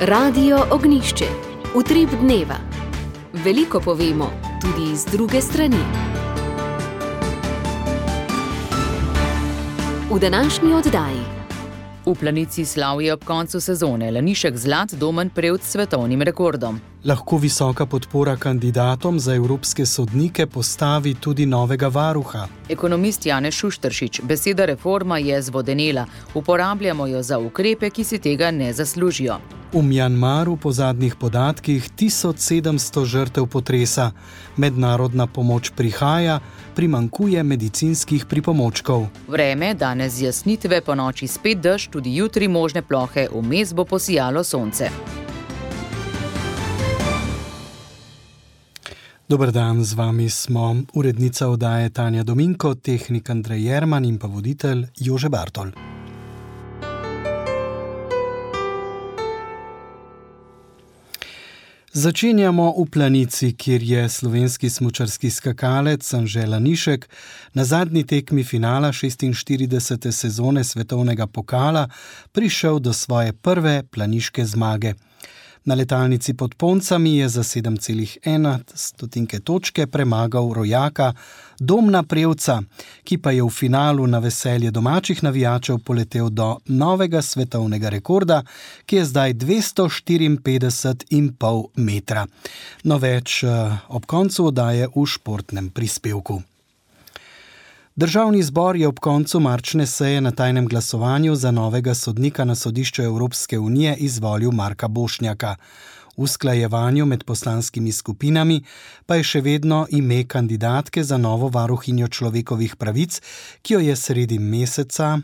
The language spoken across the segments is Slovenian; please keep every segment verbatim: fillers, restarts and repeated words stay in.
Radio Ognjišče. Utrip dneva. Veliko povemo, tudi iz druge strani. V današnji oddaji. V Planici slavijo ob koncu sezone Lanišek Zlat Domen Prevc s svetovnim rekordom. Lahko visoka podpora kandidatom za evropske sodnike postavi tudi novega varuha. Ekonomist Janez Šušteršič, beseda reforma je zvodenela, uporabljamo jo za ukrepe, ki si tega ne zaslužijo. V Mjanmaru po zadnjih podatkih tisoč sedemsto žrtev potresa. Mednarodna pomoč prihaja, primanjkuje medicinskih pripomočkov. Vreme, danes zjasnitve, po noči spet dež, tudi jutri možne plohe, vmes bo posijalo sonce. Dober dan, z vami smo urednica oddaje Tanja Dominko, tehnik Andrej Jerman in pa voditelj Jože Bartol. Začenjamo v Planici, kjer je slovenski smučarski skakalec Anže Lanišek na zadnji tekmi finala šestinštiridesete sezone svetovnega pokala prišel do svoje prve planiške zmage. Na letalnici pod Poncami je za sedem celih ena stotinke točke premagal rojaka Domna Prevca, ki pa je v finalu na veselje domačih navijačev poletel do novega svetovnega rekorda, ki je zdaj dvesto štiriinpetdeset in pol metra. No več ob koncu oddaje v športnem prispevku. Državni zbor je ob koncu marčne seje na tajnem glasovanju za novega sodnika na sodišču Evropske unije izvolil Marka Bošnjaka. V usklajevanju med poslanskimi skupinami pa je še vedno ime kandidatke za novo varuhinjo človekovih pravic, ki jo je sredi meseca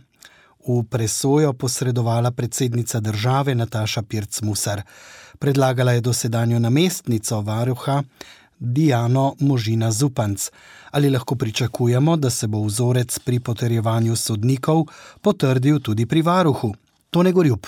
v presojo posredovala predsednica države Nataša Pirc Musar. Predlagala je dosedanjo namestnico varuha Diano Možina Zupanc. Ali lahko pričakujemo, da se bo vzorec pri potrjevanju sodnikov potrdil tudi pri varuhu? Tone Gorjup.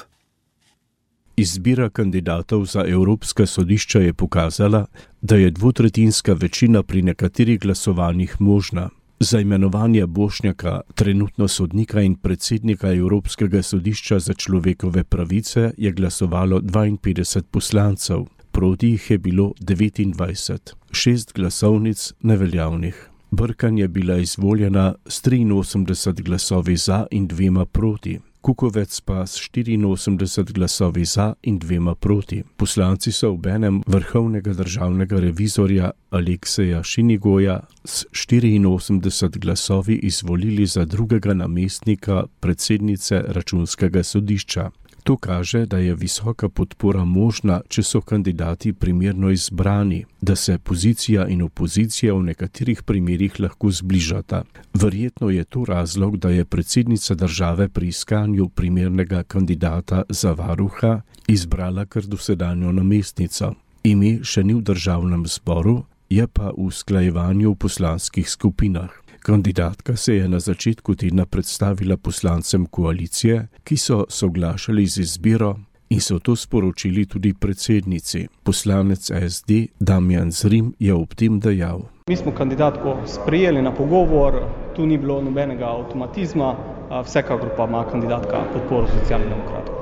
Izbira kandidatov za Evropska sodišča je pokazala, da je dvotretjinska večina pri nekaterih glasovanjih možna. Za imenovanje Bošnjaka, trenutno sodnika in predsednika Evropskega sodišča za človekove pravice, je glasovalo dvainpetdeset poslancev. Proti jih je bilo devetindvajset, šest glasovnic neveljavnih. Brkan je bila izvoljena s triinosemdeset glasovi za in dvema proti, Kukovec pa s štiriinosemdeset glasovi za in dvema proti. Poslanci so obenem vrhovnega državnega revizorja Alekseja Šinigoja s štiriinosemdeset glasovi izvolili za drugega namestnika predsednice Računskega sodišča. To kaže, da je visoka podpora možna, če so kandidati primerno izbrani, da se pozicija in opozicija v nekaterih primerih lahko zbližata. Verjetno je to razlog, da je predsednica države pri iskanju primernega kandidata za varuha izbrala kar dosedanjo namestnico. Ime še ni v državnem zboru, je pa v usklajevanju v poslanskih skupinah. Kandidatka se je na začetku tedna predstavila poslancem koalicije, ki so soglašali z izbiro in so to sporočili tudi predsednici. Poslanec es de Damjan Zrim je ob tem dejal. Mi smo kandidatko sprejeli na pogovor, tu ni bilo nobenega avtomatizma, vsekakor pa ima kandidatka podporo Socialnih demokratov.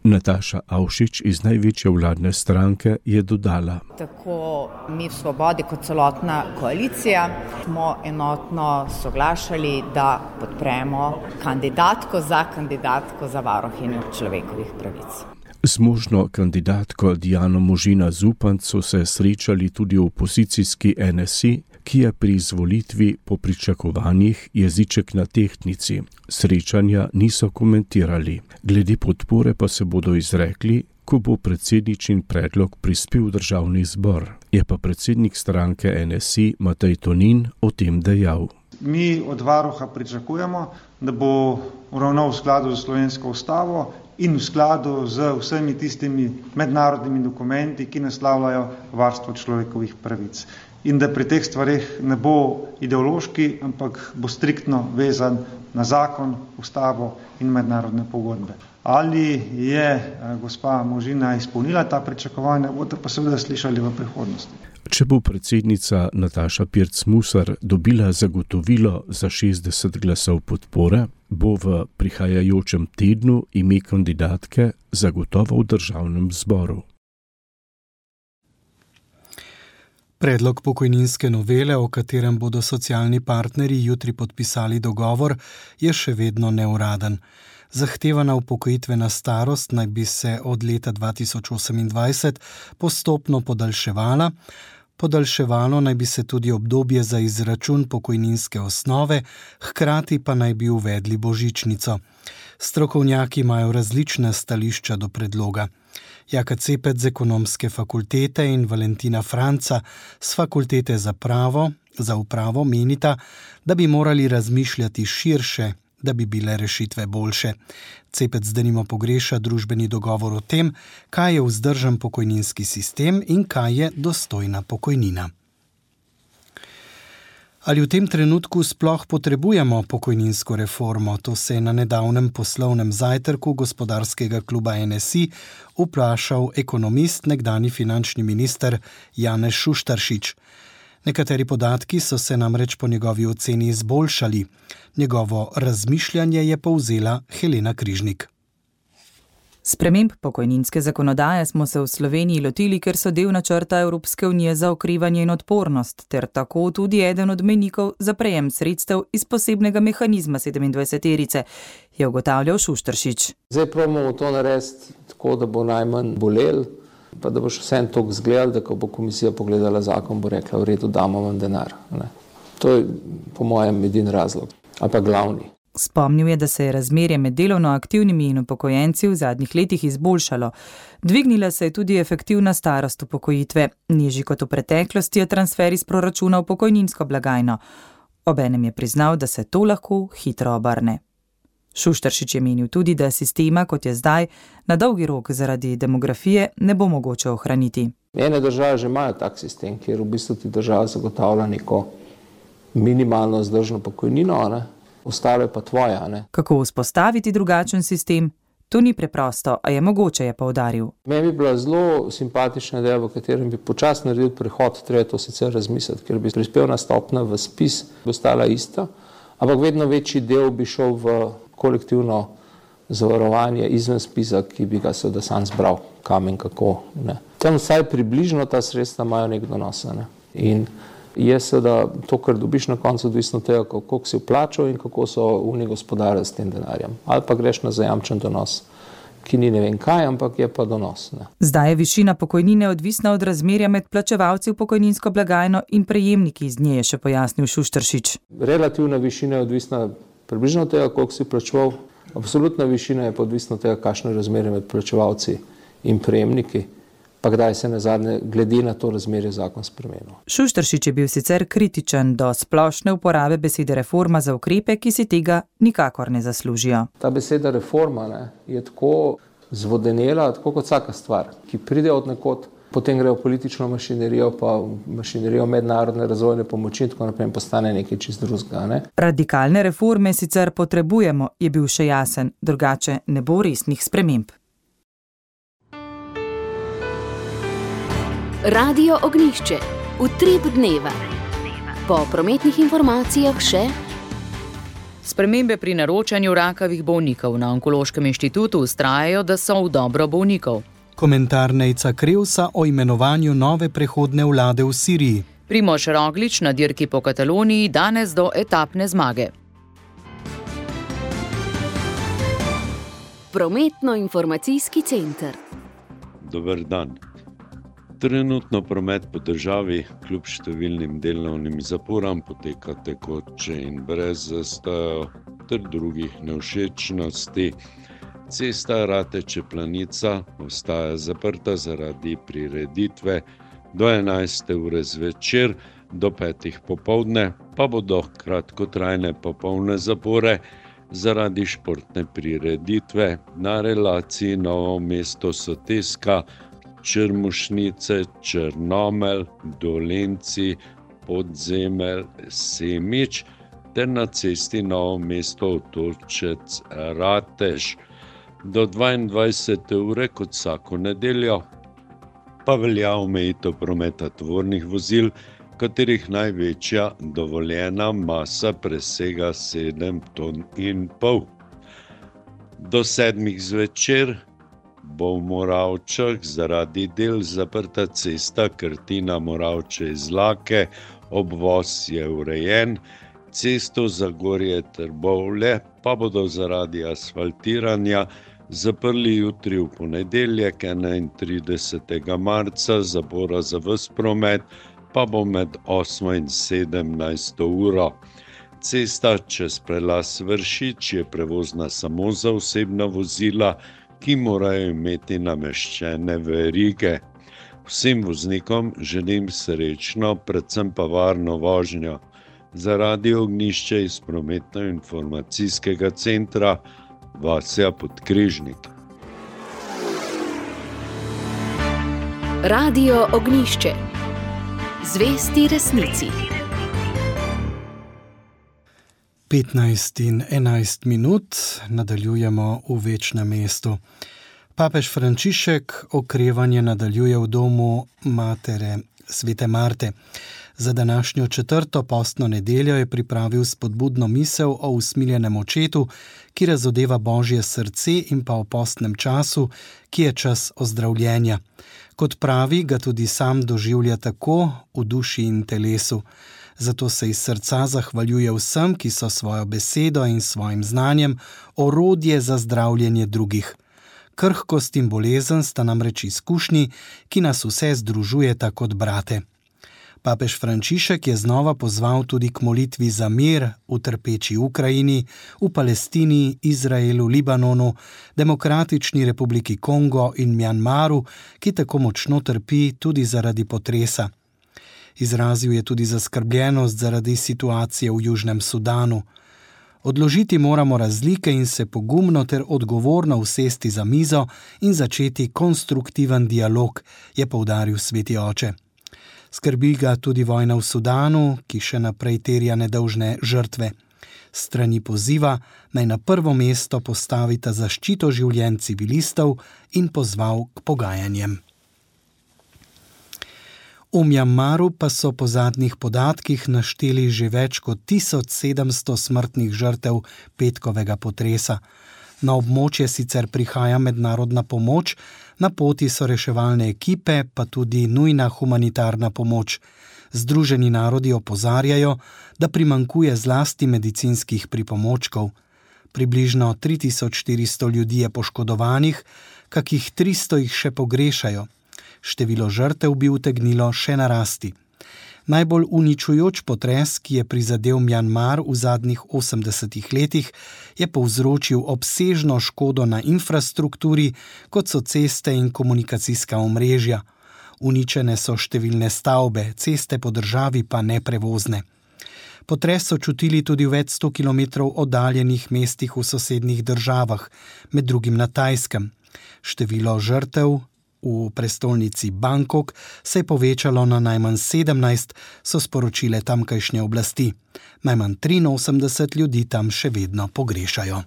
Nataša Avšič iz največje vladne stranke je dodala. Tako mi v Svobodi kot celotna koalicija smo enotno soglašali, da podpremo kandidatko za kandidatko za varuhinjo človekovih pravic. Z možno kandidatko Diano Možina Zupanc so se srečali tudi v opozicijski en es i, ki je pri izvolitvi po pričakovanjih jeziček na tehtnici. Srečanja niso komentirali. Glede podpore pa se bodo izrekli, ko bo predsedničin predlog prispel v državni zbor. Je pa predsednik stranke en es i Matej Tonin o tem dejal. Mi od varuha pričakujemo, da bo ravnal v skladu z slovensko ustavo in v skladu z vsemi tistimi mednarodnimi dokumenti, ki naslavljajo varstvo človekovih pravic. In da pri teh stvareh ne bo ideološki, ampak bo striktno vezan na zakon, ustavo in mednarodne pogodbe. Ali je gospa Možina izpolnila ta pričakovanja, boste pa seveda slišali v prihodnosti. Če bo predsednica Nataša Pirc Musar dobila zagotovilo za šestdeset glasov podpore, podpore, bo v prihajajočem tednu ime kandidatke zagotovo v državnem zboru. Predlog pokojninske novele, o katerem bodo socialni partnerji jutri podpisali dogovor, je še vedno neuraden. Zahtevana upokojitvena starost naj bi se od leta dva tisoč osemindvajset postopno podaljševala. Podaljševalo naj bi se tudi obdobje za izračun pokojninske osnove, hkrati pa naj bi uvedli božičnico. Strokovnjaki imajo različna stališča do predloga. Jaka Cepet z Ekonomske fakultete in Valentina Franca z Fakultete za pravo, za upravo menita, da bi morali razmišljati širše, da bi bile rešitve boljše. Cepet denimo pogreša družbeni dogovor o tem, kaj je vzdržen pokojninski sistem in kaj je dostojna pokojnina. Ali v tem trenutku sploh potrebujemo pokojninsko reformo? To se je na nedavnem poslovnem zajtrku gospodarskega kluba N S I vprašal ekonomist, nekdanji finančni minister Janez Šuštaršič. Nekateri podatki so se namreč po njegovi oceni izboljšali. Njegovo razmišljanje je povzela Helena Križnik. Sprememb pokojninske zakonodaje smo se v Sloveniji lotili, ker so del načrta Evropske unije za okrevanje in odpornost, ter tako tudi eden od mejnikov za prejem sredstev iz posebnega mehanizma sedemindvajseterice, je ugotavljal Šuštaršič. Zdaj probamo to narediti tako, da bo najmanj bolel, pa da boš vsem toliko zgledal, da ko bo komisija pogledala zakon, bo rekla, v redu, damo vam denar. Ne. To je po mojem edini razlog, ali pa glavni. Spomnil je, da se je razmerje med delovno aktivnimi in upokojenci v zadnjih letih izboljšalo. Dvignila se je tudi efektivna starost upokojitve. Nižji kot v preteklosti je transfer iz proračuna v pokojninsko blagajno. Obenem je priznal, da se to lahko hitro obrne. Šuštaršič je menil tudi, da sistema, kot je zdaj, na dolgi rok zaradi demografije ne bo mogoče ohraniti. Ene države že imajo tak sistem, kjer v bistvu ti država zagotavlja neko minimalno vzdržno pokojnino, ne? Ostalo je pa tvoja. Ne? Kako vzpostaviti drugačen sistem? To ni preprosto, a je mogoče, je poudaril. Meni bi bila zelo simpatična ideja, v katerem bi počasno naredil prehod, treba to sicer razmisliti, ker bi prispevna stopnja v spis ostala ista, ampak vedno večji del bi šel v kolektivno zavarovanje izven spisa, ki bi ga seveda sam zbral, kam in kako. Ne. Tam vsaj približno ta sredstva imajo nek donos. Ne. In je seveda to, kar dobiš na koncu, odvisno tega, kako si vplačal in kako so oni gospodarili s tem denarjem. Ali pa greš na zajamčen donos, ki ni ne vem kaj, ampak je pa donos. Ne. Zdaj je višina pokojnine odvisna od razmerja med plačevalci v pokojninsko blagajno in prejemniki iz nje, je še pojasnil Šuštaršič. Relativna višina je odvisna približno od tega, koliko si plačeval. Absolutna višina je pa odvisna od tega, kakšno je razmerje med plačevalci in prejemniki. Pa kdaj se nazadnje glede na to razmerje zakon spremenil. Šuštaršič je bil sicer kritičen do splošne uporabe besede reforma za ukrepe, ki si tega nikakor ne zaslužijo. Ta beseda reforma ne, je tako zvodenela, tako kot vsaka stvar, ki pride od nekod, potem gre v politično mašinerijo, pa v mašinerijo mednarodne razvojne pomoči in tako naprej postane nekaj čist drugega. Ne. Radikalne reforme sicer potrebujemo, je bil še jasen, drugače ne bo resnih sprememb. Radio Ognjišče, utrip dneva. Po prometnih informacijah še spremembe pri naročanju rakavih bolnikov na Onkološkem inštitutu vztrajajo, da so v dobro bolnikov. Komentar Nejca Krevsa o imenovanju nove prehodne vlade v Siriji. Primož Roglič na dirki po Kataloniji danes do etapne zmage. Prometno-informacijski center. Dober dan. Trenutno promet po državi kljub številnim delovnim zaporam poteka tekoče in brez zastojev ter drugih nevšečnosti. Cesta Rateče-Planica ostaja zaprta zaradi prireditve do enajste ure zvečer, do petih popoldne pa bodo kratkotrajne popolne zapore zaradi športne prireditve na relaciji Novo mesto-Soteska, Črmušnice, Črnomelj, Dolenci, Podzemelj, Semič ter na cesti Novo mesto-Otočec Ratež. Do dvaindvajsete ure kot vsako nedeljo pa velja omejitev prometa tovornih vozil katerih največja dovoljena masa presega sedem ton in pol. Do sedmih zvečer bo v Moravčah zaradi del zaprta cesta Krtina-Moravče iz Lake, obvoz je urejen, cesto Zagorje-Trbovlje pa bodo zaradi asfaltiranja zaprli jutri v ponedeljek enaintridesetega marca, zapora za ves promet pa bo med osmo in sedemnajsto uro. Cesta čez prelaz Vršič je prevozna samo za osebna vozila, ki morajo imeti nameščene verige. Vsem voznikom želim srečno, predvsem pa varno vožnjo. Zaradi Ognjišče iz prometno-informacijskega centra Vasja Podkrežnik. Radio Ognjišče. Zvesti resnici. petnajst in enajst minut nadaljujemo v Večnem mestu. Papež Frančišek okrevanje nadaljuje v domu matere Svete Marte. Za današnjo četrto postno nedeljo je pripravil spodbudno misel o usmiljenem očetu, ki razodeva Božje srce, in pa o postnem času, ki je čas ozdravljenja. Kot pravi, ga tudi sam doživlja tako v duši in telesu. Zato se iz srca zahvaljuje vsem, ki so svojo besedo in svojim znanjem orodje za zdravljenje drugih. Krhkost in bolezen sta namreč izkušnji, ki nas vse združujeta kot brate. Papež Frančišek je znova pozval tudi k molitvi za mir v trpeči Ukrajini, v Palestini, Izraelu, Libanonu, Demokratični republiki Kongo in Mjanmaru, ki tako močno trpi tudi zaradi potresa. Izrazil je tudi zaskrbljenost zaradi situacije v Južnem Sudanu. Odložiti moramo razlike in se pogumno ter odgovorno usesti za mizo in začeti konstruktiven dialog, je poudaril sveti oče. Skrbi ga tudi vojna v Sudanu, ki še naprej terja nedolžne žrtve. Strani poziva naj na prvo mesto postavita zaščito življenj civilistov in pozval k pogajanjem. V Mjanmaru pa so po zadnjih podatkih našteli že več kot tisoč sedemsto smrtnih žrtev petkovega potresa. Na območje sicer prihaja mednarodna pomoč, na poti so reševalne ekipe, pa tudi nujna humanitarna pomoč. Združeni narodi opozarjajo, da primanjkuje zlasti medicinskih pripomočkov. Približno tri tisoč štiristo ljudi je poškodovanih, kakih tristo jih še pogrešajo. Število žrtev bi utegnilo še narasti. Najbolj uničujoč potres, ki je prizadel Mjanmar v zadnjih osemdesetih letih, je povzročil obsežno škodo na infrastrukturi, kot so ceste in komunikacijska omrežja. Uničene so številne stavbe, ceste po državi pa neprevozne. Potres so čutili tudi v več sto kilometrov oddaljenih mestih v sosednjih državah, med drugim na Tajskem. Število žrtev v prestolnici Bangkok se je povečalo na najmanj sedemnajst, so sporočile tamkajšnje oblasti. Najmanj triinosemdeset ljudi tam še vedno pogrešajo.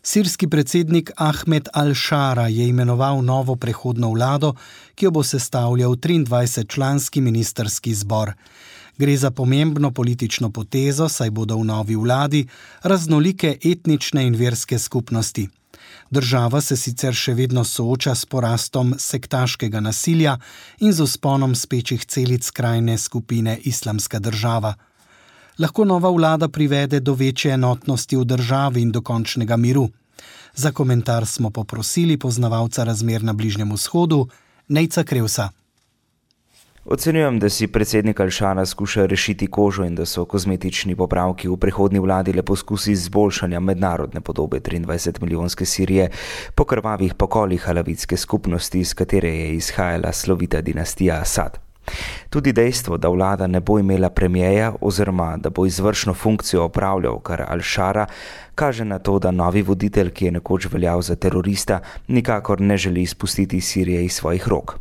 Sirski predsednik Ahmed al-Šara je imenoval novo prehodno vlado, ki jo bo sestavljal triindvajsetčlanski ministrski zbor. Gre za pomembno politično potezo, saj bodo v novi vladi raznolike etnične in verske skupnosti. Država se sicer še vedno sooča s porastom sektaškega nasilja in z vzponom spečih celic skrajne skupine Islamska država. Lahko nova vlada privede do večje enotnosti v državi in do končnega miru. Za komentar smo poprosili poznavalca razmer na Bližnjem vzhodu, Nejca Krevsa. Ocenjujem, da si predsednik al-Šara skuša rešiti kožo in da so kozmetični popravki v prihodnji vladi le poskusi izboljšanja mednarodne podobe triindvajsetmilijonske Sirije po krvavih pokolih alavitske skupnosti, iz katere je izhajala slovita dinastija Asad. Tudi dejstvo, da vlada ne bo imela premijeja oziroma da bo izvršno funkcijo opravljal kar al-Šara, kaže na to, da novi voditelj, ki je nekoč veljal za terorista, nikakor ne želi izpustiti Sirije iz svojih rok.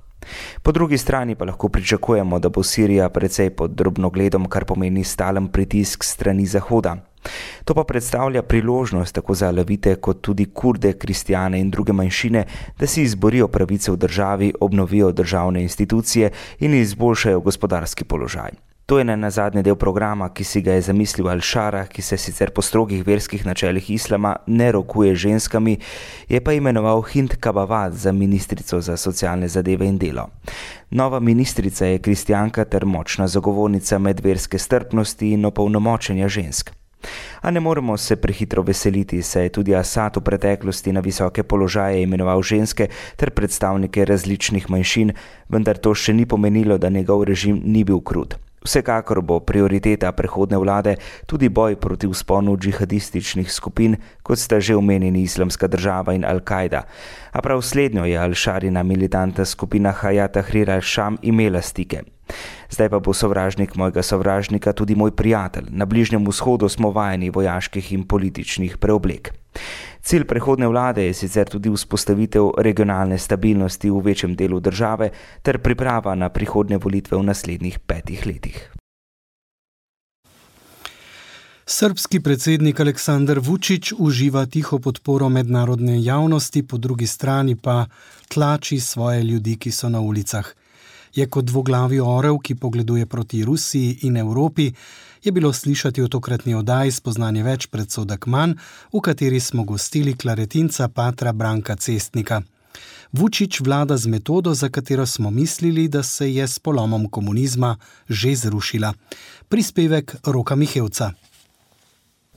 Po drugi strani pa lahko pričakujemo, da bo Sirija precej pod drobnogledom, kar pomeni stalen pritisk strani Zahoda. To pa predstavlja priložnost tako za alavite kot tudi kurde, kristjane in druge manjšine, da si izborijo pravice v državi, obnovijo državne institucije in izboljšajo gospodarski položaj. To je na zadnji del programa, ki si ga je zamislil Al-Šara, ki se sicer po strogih verskih načelih islama ne rokuje ženskami, je pa imenoval Hind Kabawat za ministrico za socialne zadeve in delo. Nova ministrica je kristjanka ter močna zagovornica medverske strpnosti in opolnomočenja žensk. A ne moremo se prehitro veseliti, saj je tudi Asad v preteklosti na visoke položaje imenoval ženske ter predstavnike različnih manjšin, vendar to še ni pomenilo, da njegov režim ni bil krut. Vsekakor bo prioriteta prehodne vlade tudi boj proti vzponu džihadističnih skupin, kot sta že omenjeni Islamska država in Al-Kaida. A prav slednjo je Al-Šarina militantna skupina Hayat Tahrir al-Sham imela stike. Zdaj pa bo sovražnik mojega sovražnika tudi moj prijatelj. Na Bližnjem vzhodu smo vajeni vojaških in političnih preoblek. Cilj prehodne vlade je sicer tudi vzpostavitev regionalne stabilnosti v večjem delu države ter priprava na prihodnje volitve v naslednjih petih letih. Srbski predsednik Aleksandar Vučić uživa tiho podporo mednarodne javnosti, po drugi strani pa tlači svoje ljudi, ki so na ulicah. Je kot dvoglavi orel, ki pogleduje proti Rusiji in Evropi, je bilo slišati v tokratni oddaji Spoznanje več predsodek manj, v kateri smo gostili klaretinca patra Branka Cestnika. Vučić vlada z metodo, za katero smo mislili, da se je s polomom komunizma že zrušila. Prispevek Roka Mihevca.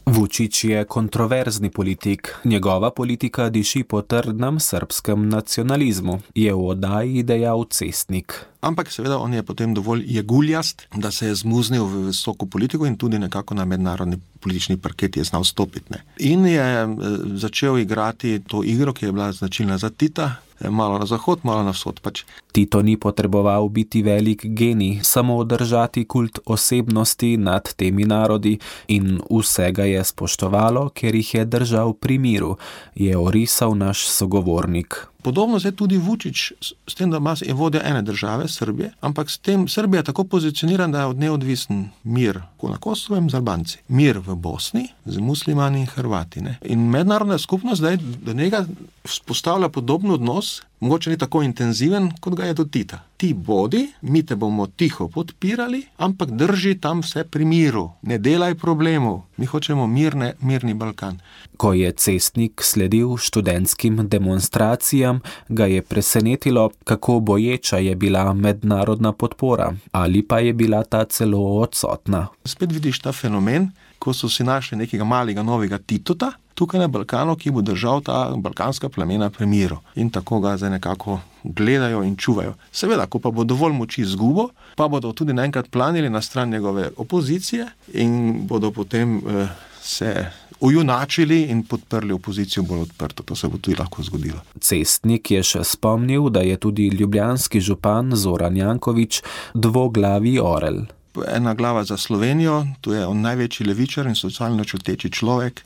Vučić je kontroverzni politik. Njegova politika diši po trdnem srbskem nacionalizmu, je v oddaji dejal Cestnik. Ampak seveda on je potem dovolj jeguljast, da se je zmuznil v visoko politiko in tudi nekako na mednarodni politični parket je znal stopiti. Ne. In je začel igrati to igro, ki je bila značilna za Tita, malo na zahod, malo na vzhod pač. Tito ni potreboval biti velik genij, samo držati kult osebnosti nad temi narodi in vsega je spoštovalo, ker jih je držal pri miru, je orisal naš sogovornik. Podobno se tudi Vučić s tem, da je vodja ene države, Srbije, ampak s tem Srbija je tako pozicioniran, da je od nje odvisen mir na Kosovem z Albanci, mir v Bosni z muslimani in Hrvati. Ne? In mednarodna skupnost zdaj do njega vzpostavlja podoben odnos, mogoče ni tako intenziven, kot ga je do Tita. Ti bodi, mi te bomo tiho podpirali, ampak drži tam vse pri miru. Ne delaj problemov. Mi hočemo mirne, mirni Balkan. Ko je Cestnik sledil študentskim demonstracijam, ga je presenetilo, kako boječa je bila mednarodna podpora, ali pa je bila ta celo odsotna. Spet vidiš ta fenomen, ko so si našli nekega malega novega Titota, tukaj na Balkanu, ki bo držal ta balkanska plemena pri miru. In tako ga zdaj nekako gledajo in čuvajo. Seveda, ko pa bo dovolj moči izgubo, pa bodo tudi naenkrat planili na stran njegove opozicije in bodo potem eh, se ujunačili in podprli opozicijo bolj odprto. To se bo tudi lahko zgodilo. Cestnik je še spomnil, da je tudi ljubljanski župan Zoran Janković dvoglavi orel. Ena glava za Slovenijo, tu je on največji levičar in socialno čuteči človek,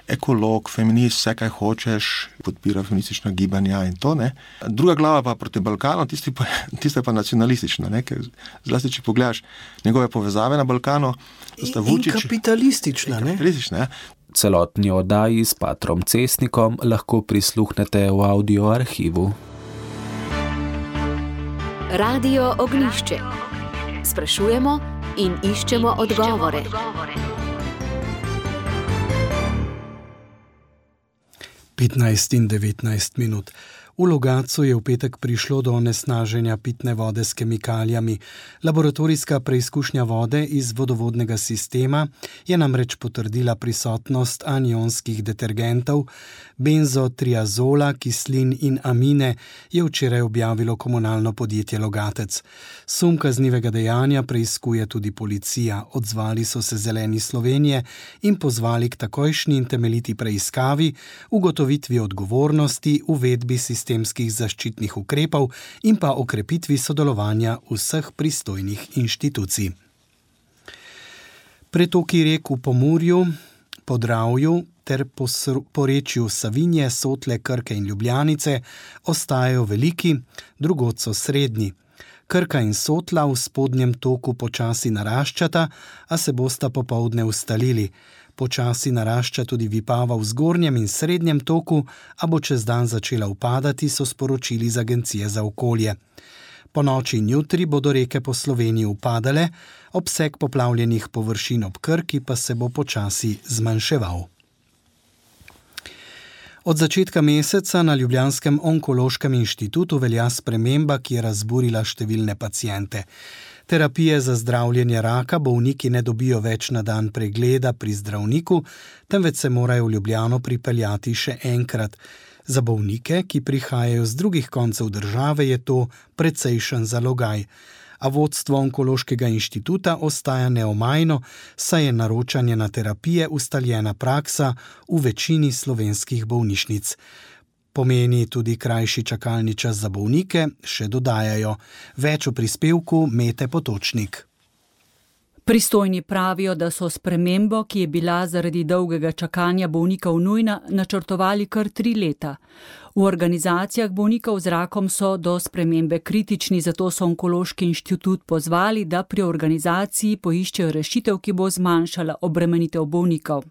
ekolog, feminist, vse kaj hočeš, podpira feministična gibanja in to, ne. Druga glava pa proti Balkanu, tista pa, tista pa nacionalistična, ne, ker zlasti, če pogledaš njegove povezave na Balkanu, sta Vučić... In kapitalistična, ne. Kapitalistična, ja. Celotni oddaji s patrom Cestnikom lahko prisluhnete v audio arhivu. Radio Ognjišče. Sprašujemo in iščemo odgovore. petnajst in devetnajst minut. V Logatcu je v petek prišlo do onesnaženja pitne vode s kemikalijami. Laboratorijska preizkušnja vode iz vodovodnega sistema je namreč potrdila prisotnost anionskih detergentov, benzotriazola, kislin in amine, je včeraj objavilo komunalno podjetje Logatec. Sum kaznivega dejanja preiskuje tudi policija. Odzvali so se Zeleni Slovenije in pozvali k takojšnji in temeljiti preiskavi, ugotovitvi odgovornosti, uvedbi sistema sistemskih zaščitnih ukrepov in pa okrepitvi sodelovanja vseh pristojnih inštitucij. Pretoki rek v Pomurju, Podravju ter porečju Savinje, Sotle, Krke in Ljubljanice ostajajo veliki, drugod so srednji. Krka in Sotla v spodnjem toku počasi naraščata, a se bosta popoldne ustalili. Počasi narašča tudi vipava v zgornjem in srednjem toku, a bo čez dan začela upadati, so sporočili iz Agencije za okolje. Po noči in jutri bodo reke po Sloveniji upadale, obseg poplavljenih površin ob Krki pa se bo počasi zmanjševal. Od začetka meseca na Ljubljanskem onkološkem inštitutu velja sprememba, ki je razburila številne paciente. Terapije za zdravljenje raka bolniki ne dobijo več na dan pregleda pri zdravniku, temveč se morajo v Ljubljano pripeljati še enkrat. Za bolnike, ki prihajajo z drugih koncev države, je to precejšen zalogaj. A vodstvo Onkološkega inštituta ostaja neomajno, saj je naročanje na terapije ustaljena praksa v večini slovenskih bolnišnic. Pomeni tudi krajši čakalni čas za bolnike, še dodajajo. Več v prispevku Mete Potočnik. Pristojni pravijo, da so spremembo, ki je bila zaradi dolgega čakanja bolnikov nujna, načrtovali kar tri leta. V organizacijah bolnikov z rakom so do spremembe kritični, zato so Onkološki inštitut pozvali, da pri organizaciji poiščejo rešitev, ki bo zmanjšala obremenitev bolnikov.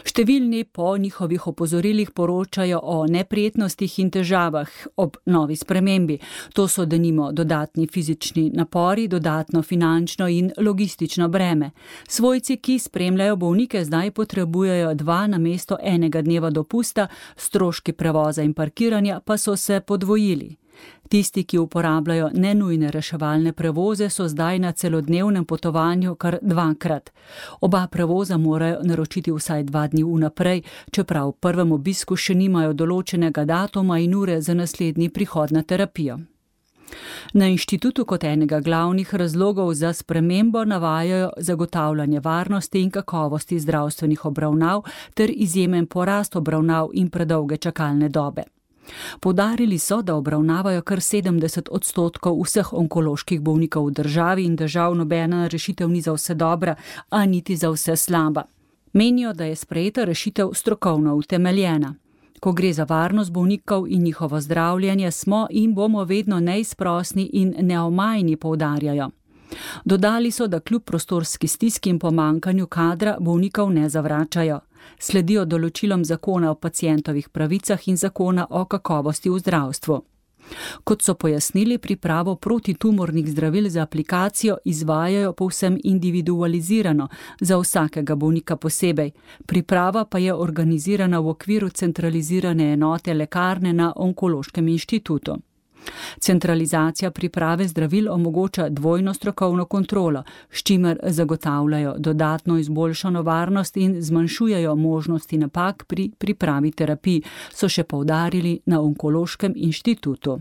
Številni po njihovih opozorilih poročajo o neprijetnostih in težavah ob novi spremembi. To so denimo dodatni fizični napori, dodatno finančno in logistično breme. Svojci, ki spremljajo bolnike, zdaj potrebujejo dva namesto enega dneva dopusta, stroški prevoza in parkiranja pa so se podvojili. Tisti, ki uporabljajo nenujne reševalne prevoze, so zdaj na celodnevnem potovanju kar dvakrat. Oba prevoza morajo naročiti vsaj dva dni vnaprej, čeprav v prvem obisku še nimajo določenega datuma in ure za naslednji prihod na terapijo. Na inštitutu kot enega glavnih razlogov za spremembo navajajo zagotavljanje varnosti in kakovosti zdravstvenih obravnav ter izjemen porast obravnav in predolge čakalne dobe. Poudarili so, da obravnavajo kar sedemdeset odstotkov vseh onkoloških bolnikov v državi in da žal nobena rešitev ni za vse dobra, a niti za vse slaba. Menijo, da je sprejeta rešitev strokovno utemeljena. Ko gre za varnost bolnikov in njihovo zdravljenje, smo in bomo vedno neizprosni in neomajni, poudarjajo. Dodali so, da kljub prostorski stiski in pomankanju kadra bolnikov ne zavračajo. Sledijo določilom zakona o pacientovih pravicah in zakona o kakovosti v zdravstvu. Kot so pojasnili, pripravo protitumornih zdravil za aplikacijo izvajajo povsem individualizirano, za vsakega bolnika posebej. Priprava pa je organizirana v okviru centralizirane enote lekarne na Onkološkem inštitutu. Centralizacija priprave zdravil omogoča dvojno strokovno kontrolo, s čimer zagotavljajo dodatno izboljšano varnost in zmanjšujejo možnosti napak pri pripravi terapij, so še poudarili na Onkološkem inštitutu.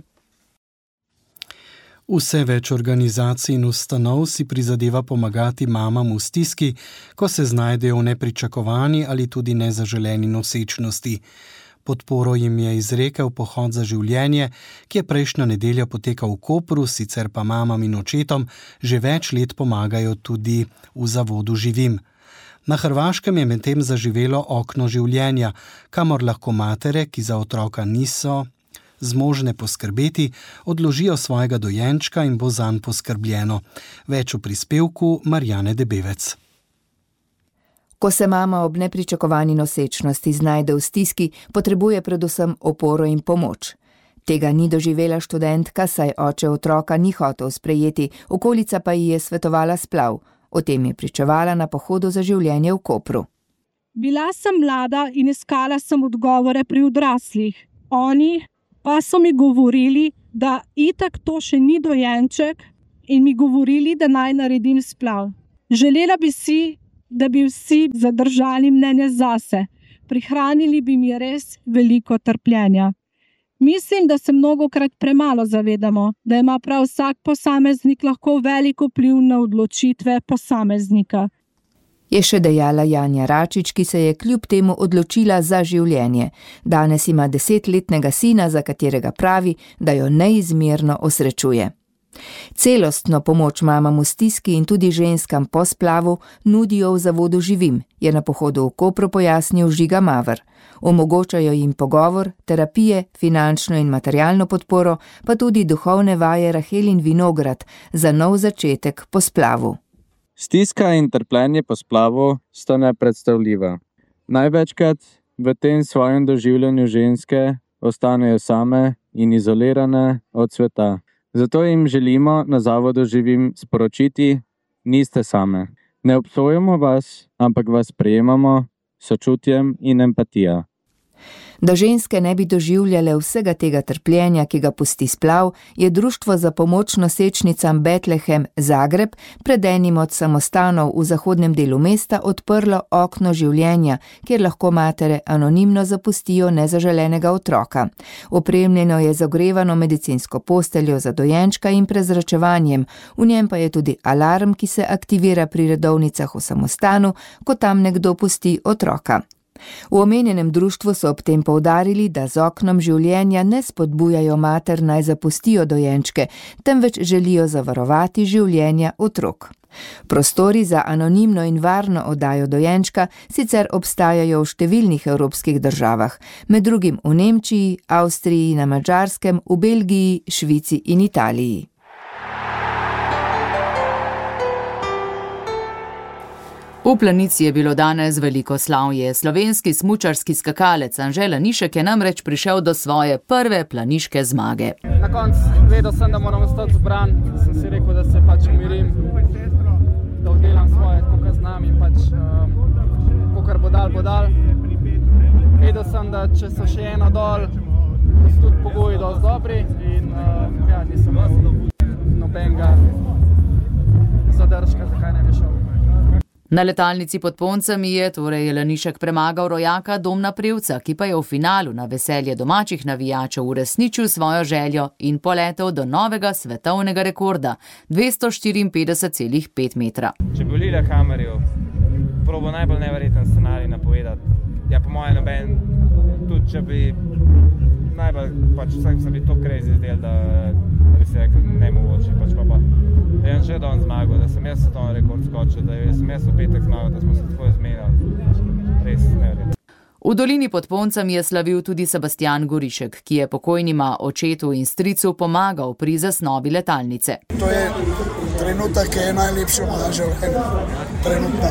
Vse več organizacij in ustanov si prizadeva pomagati mamam v stiski, ko se znajdejo v nepričakovani ali tudi nezaželeni nosečnosti. Podporo jim je izrekel Pohod za življenje, ki je prejšnjo nedeljo potekal v Kopru, sicer pa mamam in očetom že več let pomagajo tudi v zavodu Živim. Na Hrvaškem je medtem zaživelo okno življenja, kamor lahko matere, ki za otroka niso zmožne poskrbeti, odložijo svojega dojenčka in bo zanj poskrbljeno. Več v prispevku Marjane Debevec. Ko se mama ob nepričakovani nosečnosti znajde v stiski, potrebuje predvsem oporo in pomoč. Tega ni doživela študentka, saj oče otroka ni hotel sprejeti, okolica pa ji je svetovala splav. O tem je pričevala na Pohodu za življenje v Kopru. Bila sem mlada in iskala sem odgovore pri odraslih. Oni pa so mi govorili, da itak to še ni dojenček in mi govorili, da naj naredim splav. Želela bi si, da bi vsi zadržali mnenje zase. Prihranili bi mi res veliko trpljenja. Mislim, da se mnogokrat premalo zavedamo, da ima prav vsak posameznik lahko velik vpliv na odločitve posameznika. Je še dejala Janja Račič, ki se je kljub temu odločila za življenje. Danes ima desetletnega sina, za katerega pravi, da jo neizmerno osrečuje. Celostno pomoč mamam v stiski in tudi ženskam po splavu nudijo v zavodu Živim, je na Pohodu v Kopru pojasnil Žiga Maver. Omogočajo jim pogovor, terapije, finančno in materialno podporo, pa tudi duhovne vaje Rahel in Vinograd za nov začetek po splavu. Stiska in trpljenje po splavu sta nepredstavljiva. Največkrat v tem svojem doživljanju ženske ostanejo same in izolirane od sveta. Zato jim želimo na Zavodu Živim sporočiti, niste same. Ne obsojamo vas, ampak vas sprejemamo s sočutjem in empatijo. Da ženske ne bi doživljale vsega tega trpljenja, ki ga pusti splav, je Društvo za pomoč nosečnicam Betlehem Zagreb pred enim od samostanov v zahodnem delu mesta odprlo okno življenja, kjer lahko matere anonimno zapustijo nezaželenega otroka. Opremljeno je z ogrevano medicinsko posteljo za dojenčka in prezračevanjem, v njem pa je tudi alarm, ki se aktivira pri redovnicah v samostanu, ko tam nekdo pusti otroka. V omenjenem društvu so ob tem poudarili, da z oknom življenja ne spodbujajo mater naj zapustijo dojenčke, temveč želijo zavarovati življenja otrok. Prostori za anonimno in varno oddajo dojenčka sicer obstajajo v številnih evropskih državah, med drugim v Nemčiji, Avstriji, na Madžarskem, v Belgiji, Švici in Italiji. V Planici je bilo danes veliko slavje. Slovenski smučarski skakalec Anže Lanišek je namreč prišel do svoje prve planiške zmage. Na koncu vedel sem, da moram ostati zbran, sem si rekel, da se pač umirim, da oddelam svoje, kako znam in pač um, kakor bo dal, bo dal. Vedel sem, da če so še eno dol, so tudi pogoji dosti dobri in um, ja, nisem nobenega zadržka, zakaj ne bi šel. Na letalnici pod Poncami je torej Lanišek premagal rojaka Domna Prevca, ki pa je v finalu na veselje domačih navijačev uresničil svojo željo in poletel do novega svetovnega rekorda dvesto štiriinpetdeset celih pet metra. Če bi volila kamerjo, probo najbolj neverjeten scenarij napovedati. Ja, po mojem noben, tudi če bi najbolj, pač vsak se bi to crazy zdel, da, da bi se rekel nemogoče, pač pa pa. Ja, že dan zmagal, da sem jaz svetovni rekord skočil, da sem jaz v petek zmagal, da smo se tako zmenili. Res neverjetno. V dolini pod Poncami je slavil tudi Sebastian Gorišek, ki je pokojnima očetu in stricu pomagal pri zasnovi letalnice. To je trenutek, ki je najlepši v mojem življenju. Trenutno.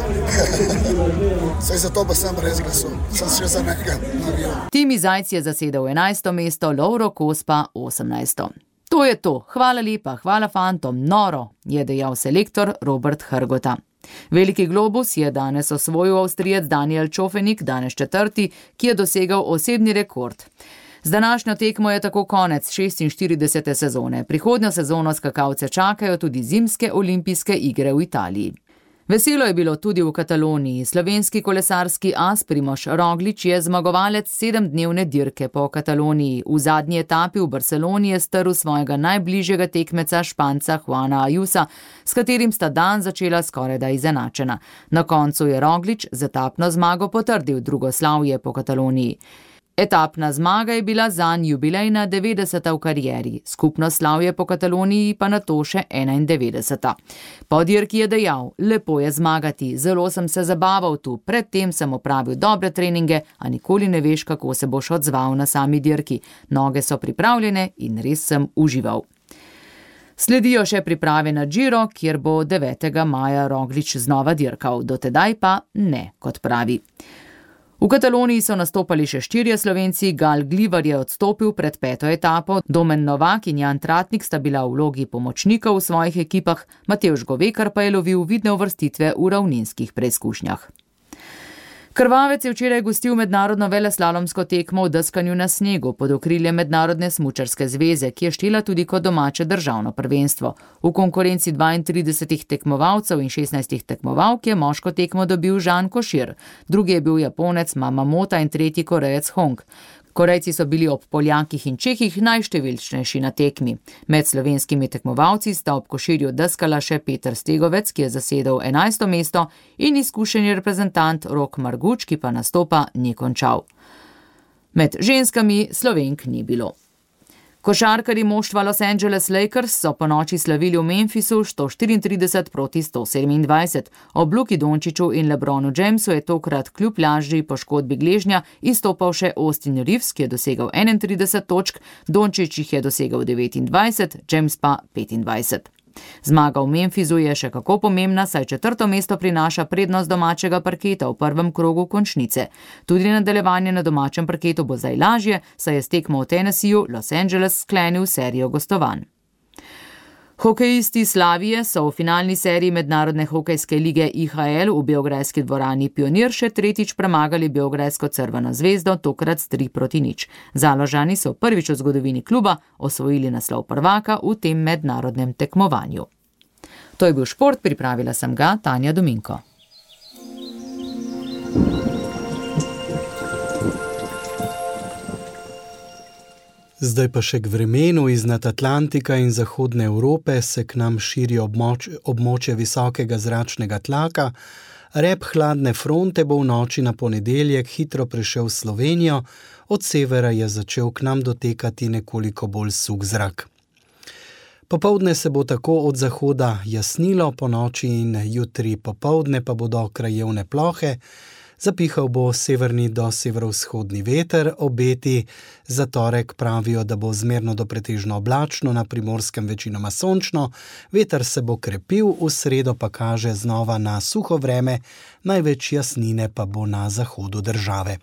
Saj zato pa sem res glasul. Sem še za nekaj navijal. Timi Zajc je zasedel enajsto mesto, Lovro Kos pa osemnajsto. To je to. Hvala lepa, hvala fantom, noro, je dejal selektor Robert Hrgota. Veliki globus je danes osvojil Avstrijec Daniel Čofenik, danes četrti, ki je dosegal osebni rekord. Z današnjo tekmo je tako konec šestinštiridesete sezone. Prihodnjo sezono skakalce čakajo tudi zimske olimpijske igre v Italiji. Veselo je bilo tudi v Kataloniji. Slovenski kolesarski as Primož Roglič je zmagovalec sedemdnevne dirke po Kataloniji. V zadnji etapi v Barceloni je strl svojega najbližjega tekmeca Španca Juana Ayusa, s katerim sta dan začela skorajda izenačena. Na koncu je Roglič z etapno zmago potrdil drugo slavje po Kataloniji. Etapna zmaga je bila zanj jubilejna devetdeseta v karieri, skupno slavje po Kataloniji pa nato še enaindevetdeseta. Po dirki je dejal, lepo je zmagati, zelo sem se zabaval tu, predtem sem opravil dobre treninge, a nikoli ne veš, kako se boš odzval na sami dirki. Noge so pripravljene in res sem užival. Sledijo še priprave na Giro, kjer bo devetega maja Roglič znova dirkal, dotedaj pa ne, kot pravi. V Kataloniji so nastopali še štirje Slovenci, Gal Glivar je odstopil pred peto etapo, Domen Novak in Jan Tratnik sta bila v vlogi pomočnikov v svojih ekipah, Matevž Govekar pa je lovil vidne uvrstitve v ravninskih preizkušnjah. Krvavec je včeraj gostil mednarodno veleslalomsko tekmo v deskanju na snegu pod okriljem Mednarodne smučarske zveze, ki je štela tudi kot domače državno prvenstvo. V konkurenci dvaintridesetih tekmovalcev in šestnajstih tekmovalk je moško tekmo dobil Žan Košir, drugi je bil Japonec Mamamota in tretji Korejec Hong. Korejci so bili ob Poljakih in Čehih najštevilčnejši na tekmi. Med slovenskimi tekmovalci sta ob Koširju deskala še Peter Stegovec, ki je zasedel enajsto mesto, in izkušeni reprezentant Rok Marguč, ki pa nastopa ni končal. Med ženskami Slovenk ni bilo. Košarkarji moštva Los Angeles Lakers so po noči slavili v Memphisu sto štiriintrideset proti sto sedemindvajset. Ob Luki Dončiću in LeBronu Jamesu je tokrat kljub lažji poškodbi gležnja izstopal še Austin Reeves, ki je dosegal enaintrideset točk, Dončić jih je dosegal devetindvajset, James pa petindvajset. Zmaga v Memphisu je še kako pomembna, saj četrto mesto prinaša prednost domačega parketa v prvem krogu končnice. Tudi nadaljevanje na domačem parketu bo zdaj lažje, saj je s tekmo v Tennesseeju Los Angeles sklenil serijo gostovanj. Hokejisti Slavije so v finalni seriji Mednarodne hokejske lige I H L v beograjski dvorani Pionir še tretjič premagali beograjsko Crveno zvezdo, tokrat s tri proti nič. Založani so prvič v zgodovini kluba osvojili naslov prvaka v tem mednarodnem tekmovanju. To je bil šport, pripravila sem ga Tanja Dominko. Zdaj pa še k vremenu. Iznad Atlantika in zahodne Evrope se k nam širi območ, območje visokega zračnega tlaka. Rep hladne fronte bo v noči na ponedeljek hitro prišel v Slovenijo, od severa je začel k nam dotekati nekoliko bolj suh zrak. Popoldne se bo tako od zahoda jasnilo, po noči in jutri popoldne pa bodo krajevne plohe. Zapihal bo severni do severovzhodni veter, obeti za torek pravijo, da bo zmerno do pretežno oblačno, na Primorskem večinoma sončno, veter se bo krepil, v sredo pa kaže znova na suho vreme, največ jasnine pa bo na zahodu države.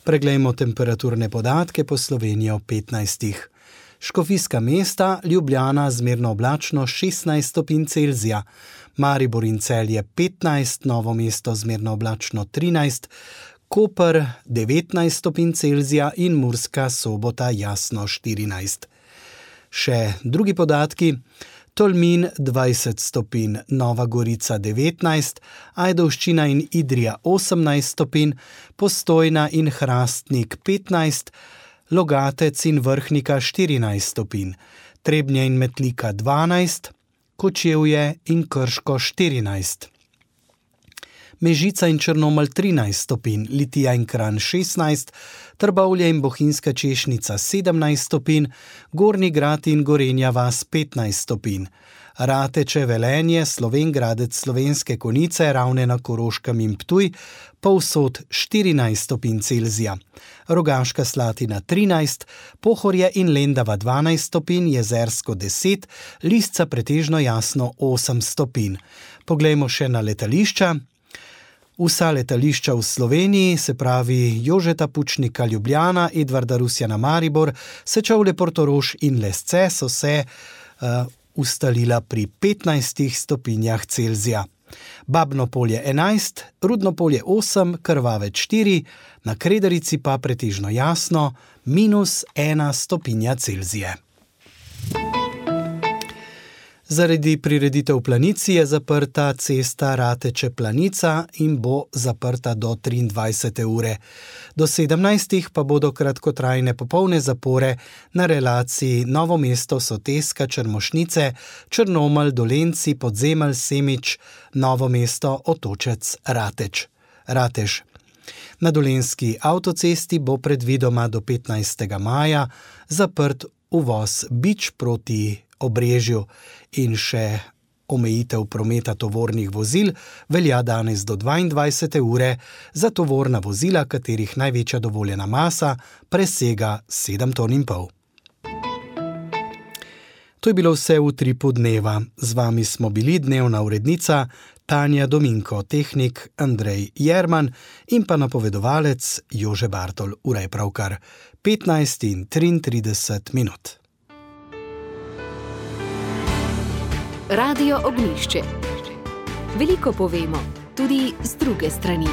Preglejmo temperaturne podatke po Sloveniji ob petnajstih. Škofijska mesta, Ljubljana zmerno oblačno šestnajst stopinj Celzija, Maribor in Celje petnajst, Novo mesto zmerno oblačno trinajst, Koper devetnajst stopinj Celzija in Murska Sobota jasno štirinajst. Še drugi podatki. Tolmin dvajset stopinj, Nova Gorica devetnajst, Ajdovščina in Idrija osemnajst stopinj, Postojna in Hrastnik petnajst, Logatec in Vrhnika štirinajst stopinj, Trebnje in Metlika dvanajst, Kočevje in Krško štirinajst. Mežica in Črnomelj trinajst stopinj, Litija in Kranj šestnajst, Trbovlje in Bohinjska Češnica sedemnajst stopinj, Gornji Grad in Gorenja vas petnajst stopinj. Rateče, Velenje, Slovenj Gradec, Slovenske Konjice, Ravne na Koroškem in Ptuj, povsod štirinajst stopinj Celzija. Rogaška Slatina trinajst, Pohorje in Lendava dvanajst stopinj, Jezersko deset, Lisca pretežno jasno osem stopinj. Poglejmo še na letališča. Vsa letališča v Sloveniji, se pravi Jožeta Pučnika Ljubljana, Edvarda Rusjana Maribor, Sečovlje Portorož in Lesce, so se uh, ustalila pri petnajstih stopinjah Celzija. Babno polje enajst, Rudno polje osem, Krvavec štiri, na Kredarici pa pretežno jasno, minus ena stopinja Celzije. Zaradi prireditev v Planici je zaprta cesta Rateče-Planica in bo zaprta do triindvajsete ure. Do sedemnajstih pa bodo kratkotrajne popolne zapore na relaciji Novo mesto, Soteska, Črmošnice, Črnomelj, Dolenci, Podzemelj, Semič, Novo mesto, Otočec, Rateč. Ratež. Na dolenjski avtocesti bo predvidoma do petnajstega maja zaprt uvoz Bič proti Obrežju in še omejitev prometa tovornih vozil velja danes do dvaindvajsete ure za tovorna vozila, katerih največja dovoljena masa presega sedem ton in pol. To je bilo vse v Utripu dneva. Z vami smo bili dnevna urednica Tanja Dominko, tehnik Andrej Jerman in pa napovedovalec Jože Bartol. Ura je pravkar petnajst in triintrideset minut. Radio Ognjišče. Veliko povemo, tudi z druge strani.